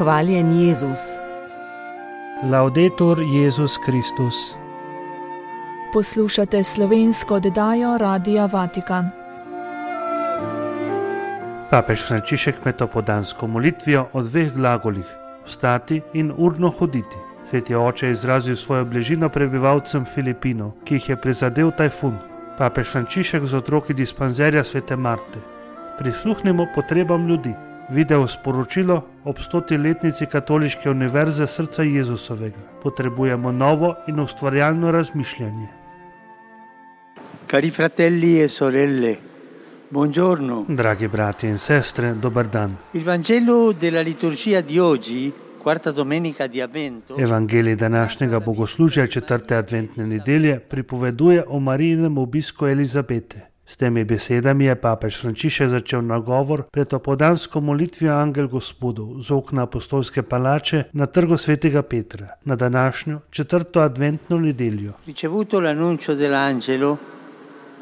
Hvaljen Jezus. Laudetur Jezus Kristus. Poslušate slovensko oddajo Radia Vatikan. Papež Frančišek med opoldansko molitvijo o dveh glagolih, vstati in urno hoditi. Sveti oče je izrazil svojo bližino prebivalcem Filipinov, ki jih je prizadel tajfun. Papež Frančišek z otroki dispanzerja svete Marte. Prisluhnimo potrebam ljudi. Video sporočilo ob 100-letnici Katoliške univerze srca Jezusovega. Potrebujemo novo in ustvarjalno razmišljanje. Cari fratelli e sorelle, buongiorno. Dragi brati in sestre, dober dan. Il Vangelo della liturgia di oggi, quarta domenica di Avvento, Evangelij današnjega bogoslužja 4. adventne nedelje pripoveduje o Marijinem obisku Elizabete. S temi besedami je papež Frančišek začel nagovor pred opoldansko molitvijo Angel Gospodov z okna apostolske palače na trgu svetega Petra na današnjo 4. adventno nedeljo. ricevuto l'annuncio dell'angelo,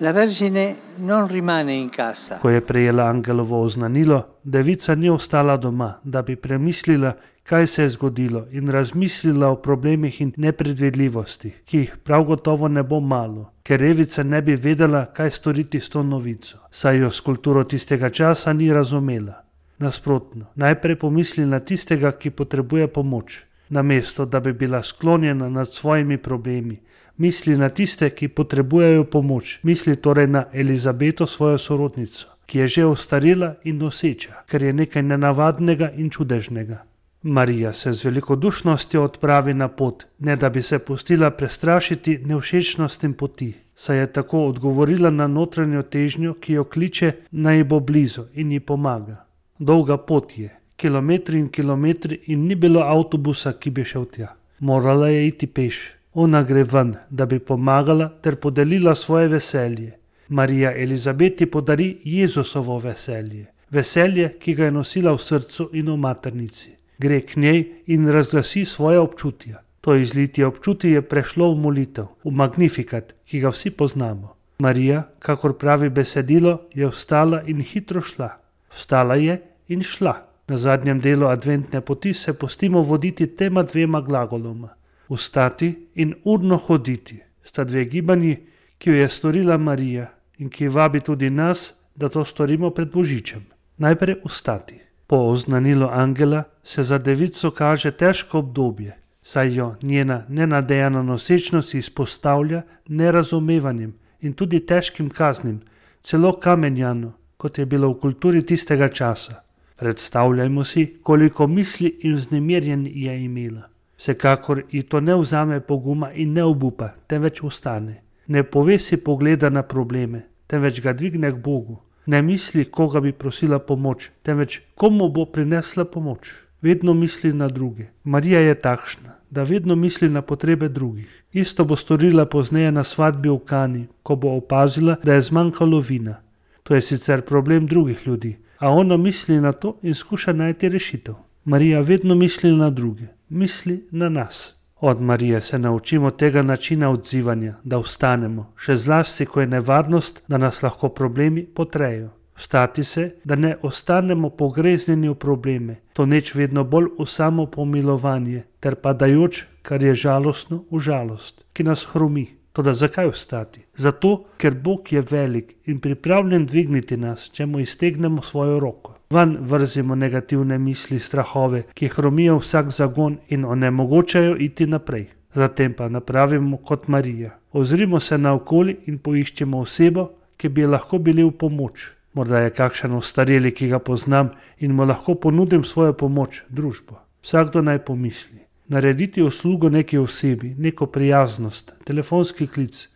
la Vergine non rimane in casa. Ko je prejela angelovo oznanilo, devica ni ostala doma, da bi premislila, kaj se je zgodilo in razmislila o problemih in nepredvidljivostih, ki jih prav gotovo ne bo malo, ker revica ne bi vedela, kaj storiti s to novico, saj jo s kulturo tistega časa ni razumela. Nasprotno, najprej pomisli na tistega, ki potrebuje pomoč, namesto da bi bila sklonjena nad svojimi problemi. Misli na tiste, ki potrebujejo pomoč, misli torej na Elizabeto, svojo sorodnico, ki je že ostarela in noseča, ker je nekaj nenavadnega in čudežnega. Marija se z velikodušnostjo odpravi na pot, ne da bi se pustila prestrašiti nevšečnostim poti, saj je tako odgovorila na notranjo težnjo, ki jo kliče, naj ji bo blizu in ji pomaga. Dolga pot je, kilometri in kilometri, in ni bilo avtobusa, ki bi šel tja. Morala je iti peš. Ona gre ven, da bi pomagala ter podelila svoje veselje. Marija Elizabeti podari Jezusovo veselje, veselje, ki ga je nosila v srcu in v maternici. Gre k njej in razglasi svoje občutja. To izlitje občutij je prešlo v molitev, v Magnifikat, ki ga vsi poznamo. Marija, kakor pravi besedilo, je vstala in hitro šla. Vstala je in šla. Na zadnjem delu adventne poti se pustimo voditi tema dvema glagoloma. Vstati in urno hoditi sta dve gibanji, ki jo je storila Marija in ki vabi tudi nas, da to storimo pred Božičem. Najprej vstati. Po oznanilu angela se za devico kaže težko obdobje, saj jo njena nenadejana nosečnost izpostavlja nerazumevanjem in tudi težkim kaznim, celo kamenjano, kot je bilo v kulturi tistega časa. Predstavljajmo si, koliko misli in vznemirjenj je imela. Vsekakor ji to ne vzame poguma in ne obupa, temveč ustane. Ne povesi pogleda na probleme, temveč ga dvigne k Bogu. Ne misli, koga bi prosila pomoč, temveč komu bo prinesla pomoč. Vedno misli na druge. Marija je takšna, da vedno misli na potrebe drugih. Isto bo storila pozneje na svadbi v Kani, ko bo opazila, da je zmanjkalo vina. To je sicer problem drugih ljudi, a ona misli na to in skuša najti rešitev. Marija vedno misli na druge, misli na nas. Od Marije se naučimo tega načina odzivanja, da vstanemo, še zlasti, ko je nevarnost, da nas lahko problemi potrejo. Vstati se, da ne ostanemo pogreznjeni v probleme, toneč vedno bolj v samo pomilovanje, ter padajoč, kar je žalostno, v žalost, ki nas hromi. Toda zakaj vstati? Zato, ker Bog je velik in pripravljen dvigniti nas, če mu iztegnemo svojo roko. Van vrzimo negativne misli, strahove, ki hromijo vsak zagon in onemogočajo iti naprej. Zatem pa napravimo kot Marija. Ozrimo se naokoli in poiščemo osebo, ki bi lahko bili v pomoč. Morda je kakšen ostareli, ki ga poznam in mu lahko ponudim svojo pomoč, družbo. Vsakdo naj pomisli. Narediti uslugo neki osebi, neko prijaznost, telefonski klic.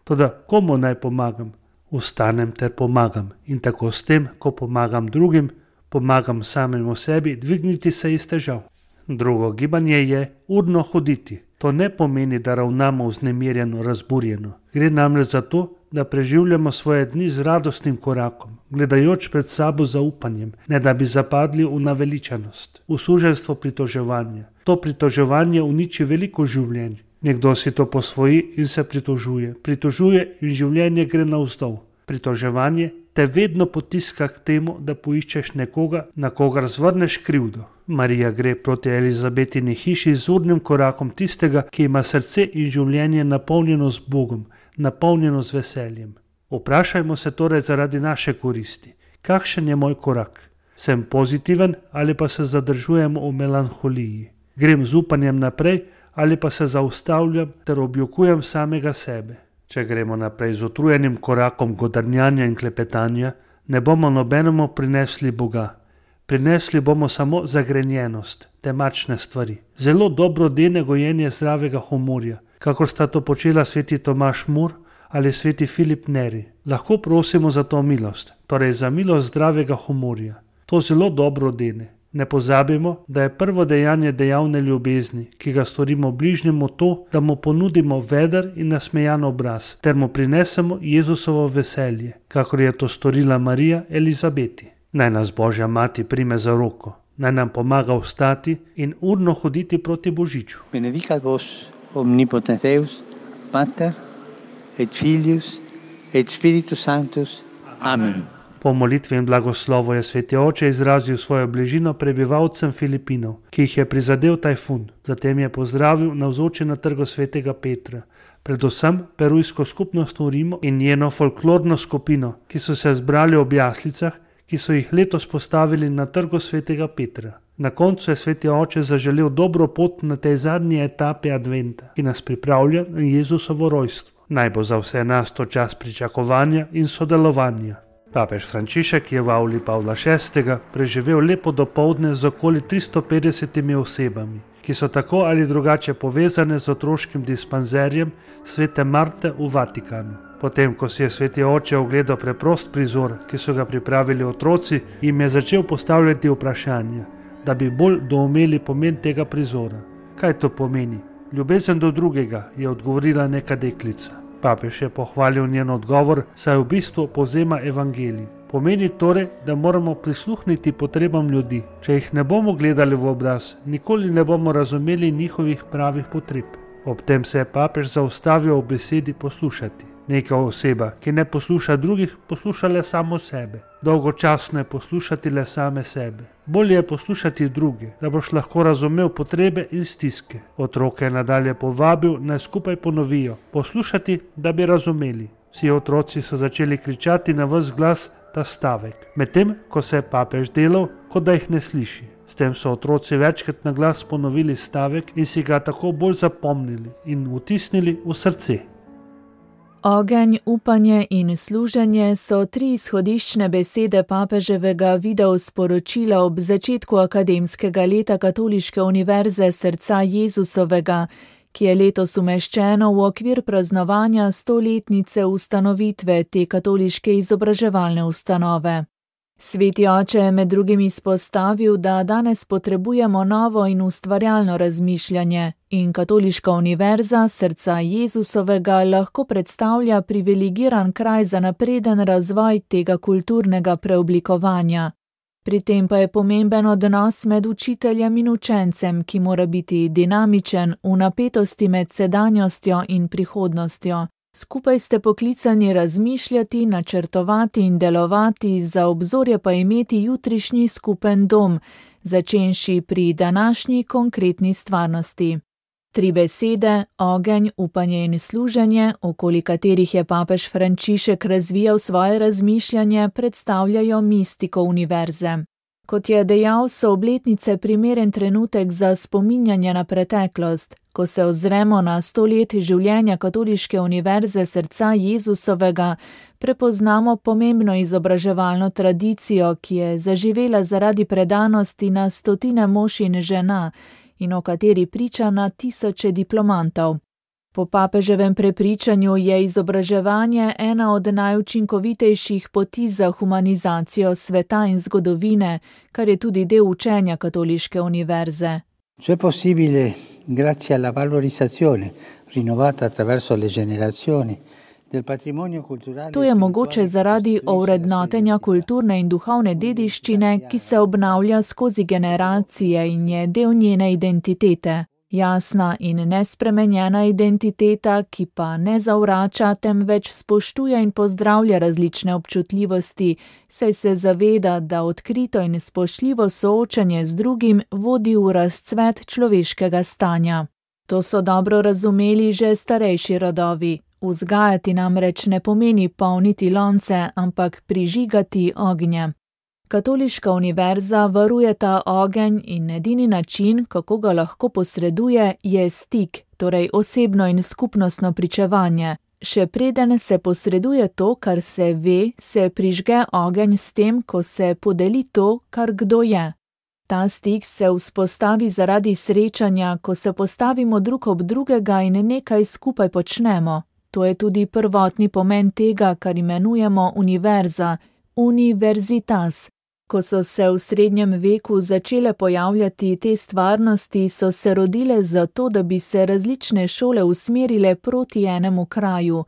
Toda komu naj pomagam? Vstanem ter pomagam in tako s tem, ko pomagam drugim, pomagam samemu sebi dvigniti se iz težav. Drugo gibanje je urno hoditi. To ne pomeni, da ravnamo vznemirjeno, razburjeno. Gre namreč za to, da preživljamo svoje dni z radostnim korakom, gledajoč pred sabo zaupanjem, ne da bi zapadli v naveličanost, v suženjstvo pritoževanja. To pritoževanje uniči veliko življenj. Nekdo si to posvoji in se pritožuje in življenje gre navzdol. Pritoževanje te vedno potiska k temu, da poiščeš nekoga, na kogar zvrneš krivdo. Marija gre proti Elizabetini hiši z urnim korakom tistega, ki ima srce in življenje napolnjeno z Bogom, napolnjeno z veseljem. Vprašajmo se torej zaradi naše koristi, kakšen je moj korak? Sem pozitiven ali pa se zadržujem v melanholiji? Grem z upanjem naprej ali pa se zaustavljam ter objokujem samega sebe? Če gremo naprej z utrujenim korakom godrnjanja in klepetanja, ne bomo nobenemu prinesli Boga. Prinesli bomo samo zagrenjenost, temačne stvari. Zelo dobro dene gojenje zdravega humorja, kakor sta to počela sveti Tomaž Mur ali sveti Filip Neri. Lahko prosimo za to milost, torej za milost zdravega humorja. To zelo dobro dene. Ne pozabimo, da je prvo dejanje dejavne ljubezni, ki ga storimo bližnjemu, to, da mu ponudimo veder in nasmejan obraz, ter mu prinesemo Jezusovo veselje, kakor je to storila Marija Elizabeti. Naj nas Božja mati prime za roko, naj nam pomaga vstati in urno hoditi proti Božiču. Benedicat vos omnipotens Deus, Pater et Filius et Spiritus Sanctus. Amen. Po molitvi in blagoslovu je sveti oče izrazil svojo bližino prebivalcem Filipinov, ki jih je prizadel tajfun. Zatem je pozdravil navzoče na trgu svetega Petra, predvsem perujsko skupnost v Rimu in njeno folklorno skupino, ki so se zbrali ob jaslicah, ki so jih letos postavili na trgu svetega Petra. Na koncu je sveti oče zaželel dobro pot na tej zadnji etapi adventa, ki nas pripravlja na Jezusovo rojstvo. Naj bo za vse nas to čas pričakovanja in sodelovanja. Papež Frančišek je v avli Pavla VI. Preživel lepo dopoldne z okoli 350 osebami, ki so tako ali drugače povezane z otroškim dispanzerjem svete Marte v Vatikanu. Potem, ko si je sveti oče ogledal preprost prizor, ki so ga pripravili otroci, jim je začel postavljati vprašanja, da bi bolj doumeli pomen tega prizora. Kaj to pomeni? Ljubezen do drugega, je odgovorila neka deklica. Papež je pohvalil njen odgovor, saj v bistvu povzema evangelij. Pomeni torej, da moramo prisluhniti potrebam ljudi. Če jih ne bomo gledali v obraz, nikoli ne bomo razumeli njihovih pravih potreb. Ob tem se je papež zaustavil v besedi poslušati. Neka oseba, ki ne posluša drugih, posluša le samo sebe. Dolgočasno je poslušati le same sebe. Bolje je poslušati druge, da boš lahko razumel potrebe in stiske. Otroke je nadalje povabil, naj skupaj ponovijo, poslušati, da bi razumeli. Vsi otroci so začeli kričati na ves glas ta stavek, medtem ko se je papež delal, kot da jih ne sliši. S tem so otroci večkrat na glas ponovili stavek in si ga tako bolj zapomnili in vtisnili v srce. Ogenj, upanje in služenje so tri izhodiščne besede papeževega videosporočila ob začetku akademskega leta Katoliške univerze Srca Jezusovega, ki je letos umeščeno v okvir praznovanja 100-letnice ustanovitve te katoliške izobraževalne ustanove. Sveti oče je med drugim izpostavil, da danes potrebujemo novo in ustvarjalno razmišljanje in Katoliška univerza Srca Jezusovega lahko predstavlja privilegiran kraj za napreden razvoj tega kulturnega preoblikovanja. Pri tem pa je pomemben odnos med učiteljem in učencem, ki mora biti dinamičen v napetosti med sedanjostjo in prihodnostjo. Skupaj ste poklicani razmišljati, načrtovati in delovati, za obzorje pa imeti jutrišnji skupen dom, začenši pri današnji konkretni stvarnosti. Tri besede, ogenj, upanje in služenje, okoli katerih je papež Frančišek razvijal svoje razmišljanje, predstavljajo mistiko univerze. Kot je dejal, so obletnice primeren trenutek za spominjanje na preteklost. Ko se ozremo na 100 let življenja Katoliške univerze Srca Jezusovega, prepoznamo pomembno izobraževalno tradicijo, ki je zaživela zaradi predanosti na stotine mož in žena in o kateri priča na tisoče diplomantov. Po papeževem prepričanju je izobraževanje ena od najučinkovitejših poti za humanizacijo sveta in zgodovine, kar je tudi del učenja Katoliške univerze. Ciò è possibile grazie alla valorizzazione rinnovata attraverso le generazioni del patrimonio culturale. To je mogoče zaradi ovrednotenja kulturne in duhovne dediščine, ki se obnavlja skozi generacije in je del njene identitete. Jasna in nespremenjena identiteta, ki pa ne zavrača, temveč spoštuje in pozdravlja različne občutljivosti, saj se zaveda, da odkrito in spoštljivo soočanje z drugim vodi v razcvet človeškega stanja. To so dobro razumeli že starejši rodovi. Vzgajati namreč ne pomeni polniti lonce, ampak prižigati ognje. Katoliška univerza varuje ta ogenj in edini način, kako ga lahko posreduje, je stik, torej osebno in skupnostno pričevanje. Še preden se posreduje to, kar se ve, se prižge ogenj s tem, ko se podeli to, kar kdo je. Ta stik se vzpostavi zaradi srečanja, ko se postavimo drug ob drugega in nekaj skupaj počnemo. To je tudi prvotni pomen tega, kar imenujemo univerza, universitas. Ko so se v srednjem veku začele pojavljati te stvarnosti, so se rodile zato, da bi se različne šole usmerile proti enemu kraju.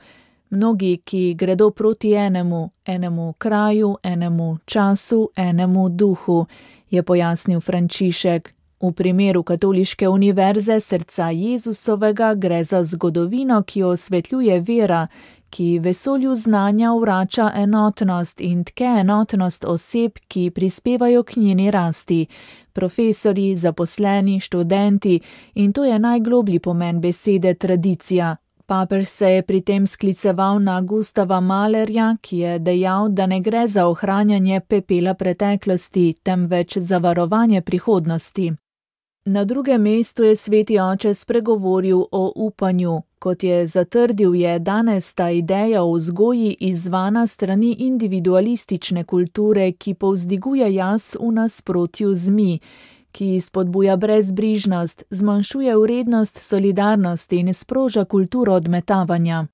Mnogi, ki gredo proti enemu kraju, enemu času, enemu duhu, je pojasnil Frančišek. V primeru Katoliške univerze srca Jezusovega gre za zgodovino, ki osvetljuje vera, ki vesolju znanja vrača enotnost in tke enotnost oseb, ki prispevajo k njeni rasti. Profesorji, zaposleni, študenti, in to je najgloblji pomen besede tradicija. Papež se je pri tem skliceval na Gustava Mahlerja, ki je dejal, da ne gre za ohranjanje pepela preteklosti, temveč za varovanje prihodnosti. Na drugem mestu je sveti oče spregovoril o upanju. Kot je zatrdil, je danes ta ideja o vzgoji izzvana strani individualistične kulture, ki povzdiguje jaz v nasprotju z mi, ki spodbuja brezbrižnost, zmanjšuje vrednost solidarnosti in sproža kulturo odmetavanja.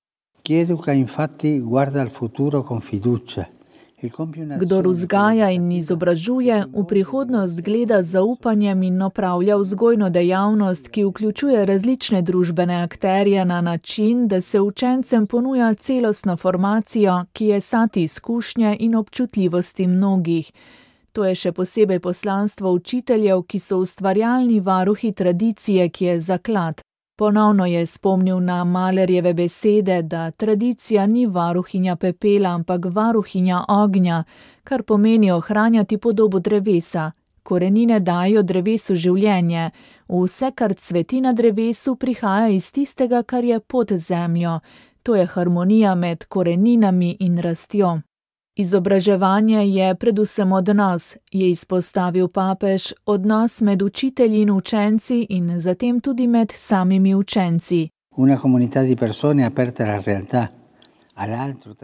Kdor vzgaja in izobražuje, v prihodnost gleda z zaupanjem in opravlja vzgojno dejavnost, ki vključuje različne družbene akterje na način, da se učencem ponuja celostno formacijo, ki je sad izkušnje in občutljivosti mnogih. To je še posebej poslanstvo učiteljev, ki so ustvarjalni varuhi tradicije, ki je zaklad. Ponovno je spomnil na Mahlerjeve besede, da tradicija ni varuhinja pepela, ampak varuhinja ognja, kar pomeni ohranjati podobo drevesa. Korenine dajo drevesu življenje. Vse, kar cveti na drevesu, prihaja iz tistega, kar je pod zemljo. To je harmonija med koreninami in rastjo. Izobraževanje je predvsem odnos, je izpostavil papež, odnos med učitelji in učenci in zatem tudi med samimi učenci.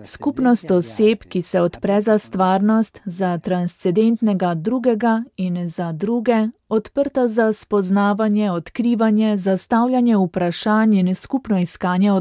Skupnost oseb, ki se odpre za stvarnost, za transcendentnega drugega in za druge, odprta za spoznavanje, odkrivanje, zastavljanje vprašanj in skupno iskanje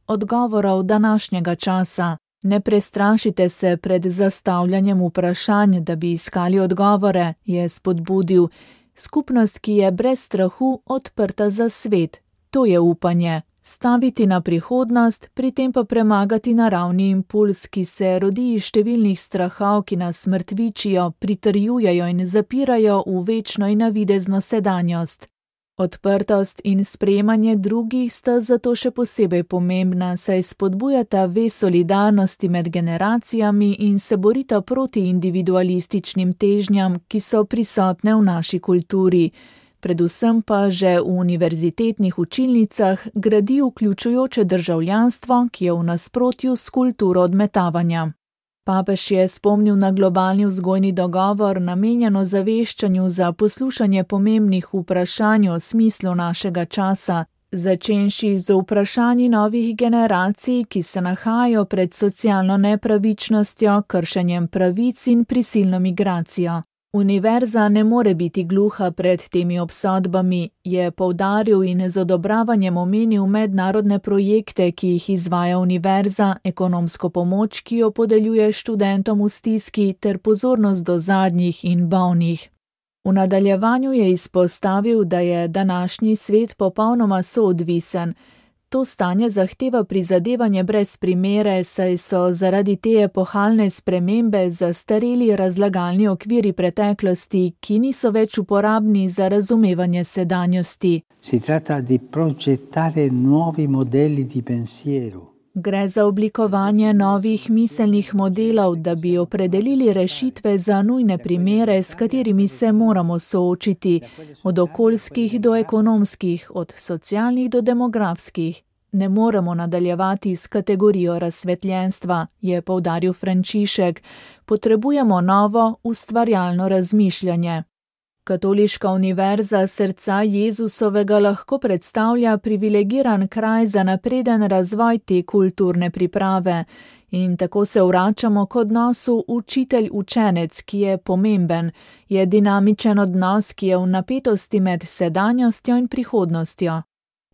odgovorov današnjega časa. Ne prestrašite se pred zastavljanjem vprašanj, da bi iskali odgovore, je spodbudil. Skupnost, ki je brez strahu odprta za svet. To je upanje. Staviti na prihodnost, pri tem pa premagati naravni impuls, ki se rodi iz številnih strahov, ki nas mrtvičijo, pritrjujejo in zapirajo v večno in navidezno sedanjost. Odprtost in sprejemanje drugih sta zato še posebej pomembna, saj spodbujata vez solidarnosti med generacijami in se borita proti individualističnim težnjam, ki so prisotne v naši kulturi. Predvsem pa že v univerzitetnih učilnicah gradi vključujoče državljanstvo, ki je v nasprotju s kulturo odmetavanja. Papež je spomnil na globalni vzgojni dogovor, namenjen ozaveščanju za poslušanje pomembnih vprašanj o smislu našega časa, začenši z vprašanji novih generacij, ki se nahajajo pred socialno nepravičnostjo, kršenjem pravic in prisilno migracijo. Univerza ne more biti gluha pred temi obsodbami, je poudaril in z odobravanjem omenil mednarodne projekte, ki jih izvaja univerza, ekonomsko pomoč, ki jo podeljuje študentom v stiski, ter pozornost do zadnjih in bolnih. V nadaljevanju je izpostavil, da je današnji svet popolnoma soodvisen. To stanje zahteva prizadevanje brez primere, saj so zaradi te epohalne spremembe zastareli razlagalni okviri preteklosti, ki niso več uporabni za razumevanje sedanjosti. Si tratta di progettare nuovi modelli di pensiero. Gre za oblikovanje novih miselnih modelov, da bi opredelili rešitve za nujne primere, s katerimi se moramo soočiti, od okoljskih do ekonomskih, od socialnih do demografskih. Ne moremo nadaljevati s kategorijo razsvetljenstva, je poudaril Frančišek. Potrebujemo novo, ustvarjalno razmišljanje. Katoliška univerza Srca Jezusovega lahko predstavlja privilegiran kraj za napreden razvoj te kulturne priprave in tako se vračamo k odnosu učitelj-učenec, ki je pomemben, je dinamičen odnos, ki je v napetosti med sedanjostjo in prihodnostjo.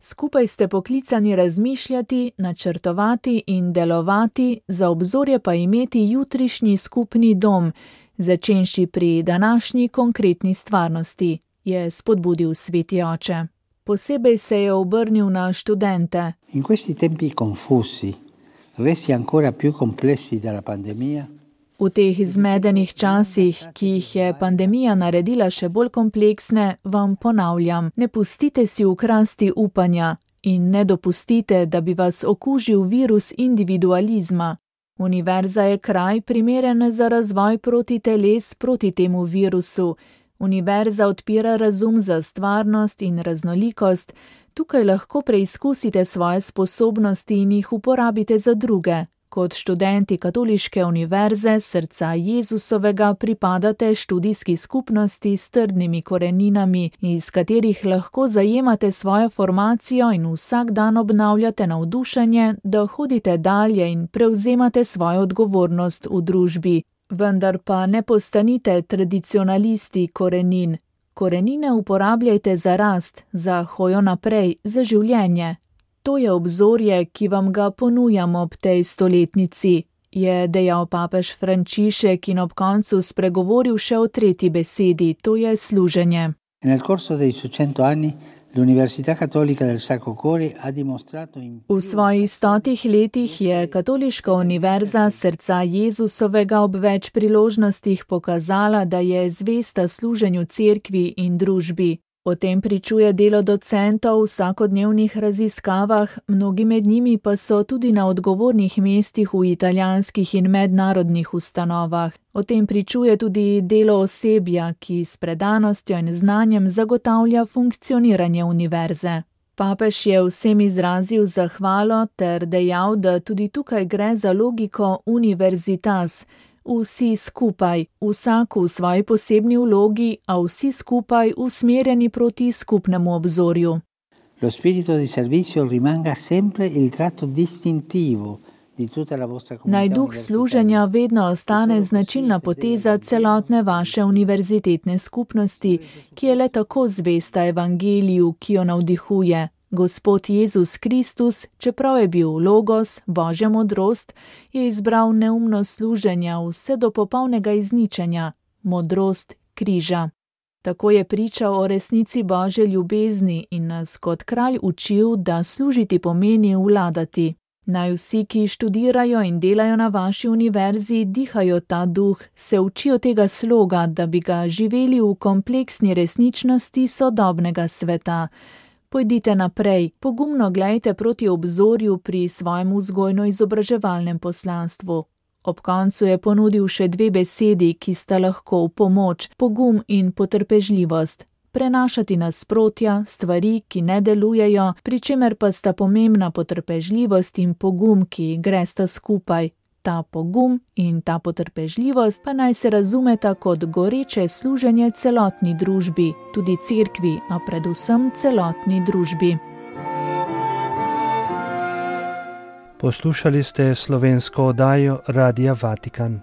Skupaj ste poklicani razmišljati, načrtovati in delovati, za obzorje pa imeti jutrišnji skupni dom, začenši pri današnji konkretni stvarnosti, je spodbudil sveti oče. Posebej se je obrnil na študente. In questi tempi confusi, resi ancora più complessi dalla pandemia, V teh zmedenih časih, ki jih je pandemija naredila še bolj kompleksne, vam ponavljam, ne pustite si ukrasti upanja in ne dopustite, da bi vas okužil virus individualizma. Univerza je kraj primeren za razvoj protiteles proti temu virusu. Univerza odpira razum za stvarnost in raznolikost. Tukaj lahko preizkusite svoje sposobnosti in jih uporabite za druge. Kot študenti Katoliške univerze Srca Jezusovega pripadate študijski skupnosti s trdnimi koreninami, iz katerih lahko zajemate svojo formacijo in vsak dan obnavljate navdušenje, da hodite dalje in prevzemate svojo odgovornost v družbi. Vendar pa ne postanite tradicionalisti korenin. Korenine uporabljajte za rast, za hojo naprej, za življenje. To je obzorje, ki vam ga ponujamo ob tej stoletnici, je dejal papež Frančišek in ob koncu spregovoril še o tretji besedi, to je služenje. Nel corso dei suoi 100 anni l'Università Cattolica del Sacro Cuore ha dimostrato V svojih 100 letih je Katoliška univerza Srca Jezusovega ob več priložnostih pokazala, da je zvesta služenju cerkvi in družbi. O tem pričuje delo docentov v vsakodnevnih raziskavah, mnogi med njimi pa so tudi na odgovornih mestih v italijanskih in mednarodnih ustanovah. O tem pričuje tudi delo osebja, ki s predanostjo in znanjem zagotavlja funkcioniranje univerze. Papež je vsem izrazil zahvalo ter dejal, da tudi tukaj gre za logiko universitas, vsi skupaj, vsak v svoji posebni vlogi, a vsi skupaj usmerjeni proti skupnemu obzorju. Lo spirito di servizio rimanga sempre il tratto distintivo di tutta la vostra comunità. Naj duh služenja vedno ostane značilna poteza celotne vaše univerzitetne skupnosti, ki je le tako zvesta evangeliju, ki jo navdihuje. Gospod Jezus Kristus, čeprav je bil Logos, Božja modrost, je izbral neumnost služenja vse do popolnega izničenja, modrost križa. Tako je pričal o resnici Božje ljubezni in nas kot kralj učil, da služiti pomeni vladati. Naj vsi, ki študirajo in delajo na vaši univerzi, dihajo ta duh, se učijo tega sloga, da bi ga živeli v kompleksni resničnosti sodobnega sveta. Pojdite naprej, pogumno glejte proti obzorju pri svojem vzgojno-izobraževalnem poslanstvu. Ob koncu je ponudil še 2 besedi, ki sta lahko v pomoč, pogum in potrpežljivost. Prenašati nasprotja, stvari, ki ne delujejo, pri čemer pa sta pomembna potrpežljivost in pogum, ki gresta skupaj. Ta pogum in ta potrpežljivost pa naj se razumeta kot goreče služenje celotni družbi, tudi cerkvi, a predvsem celotni družbi. Poslušali ste slovensko oddajo Radia Vatikan.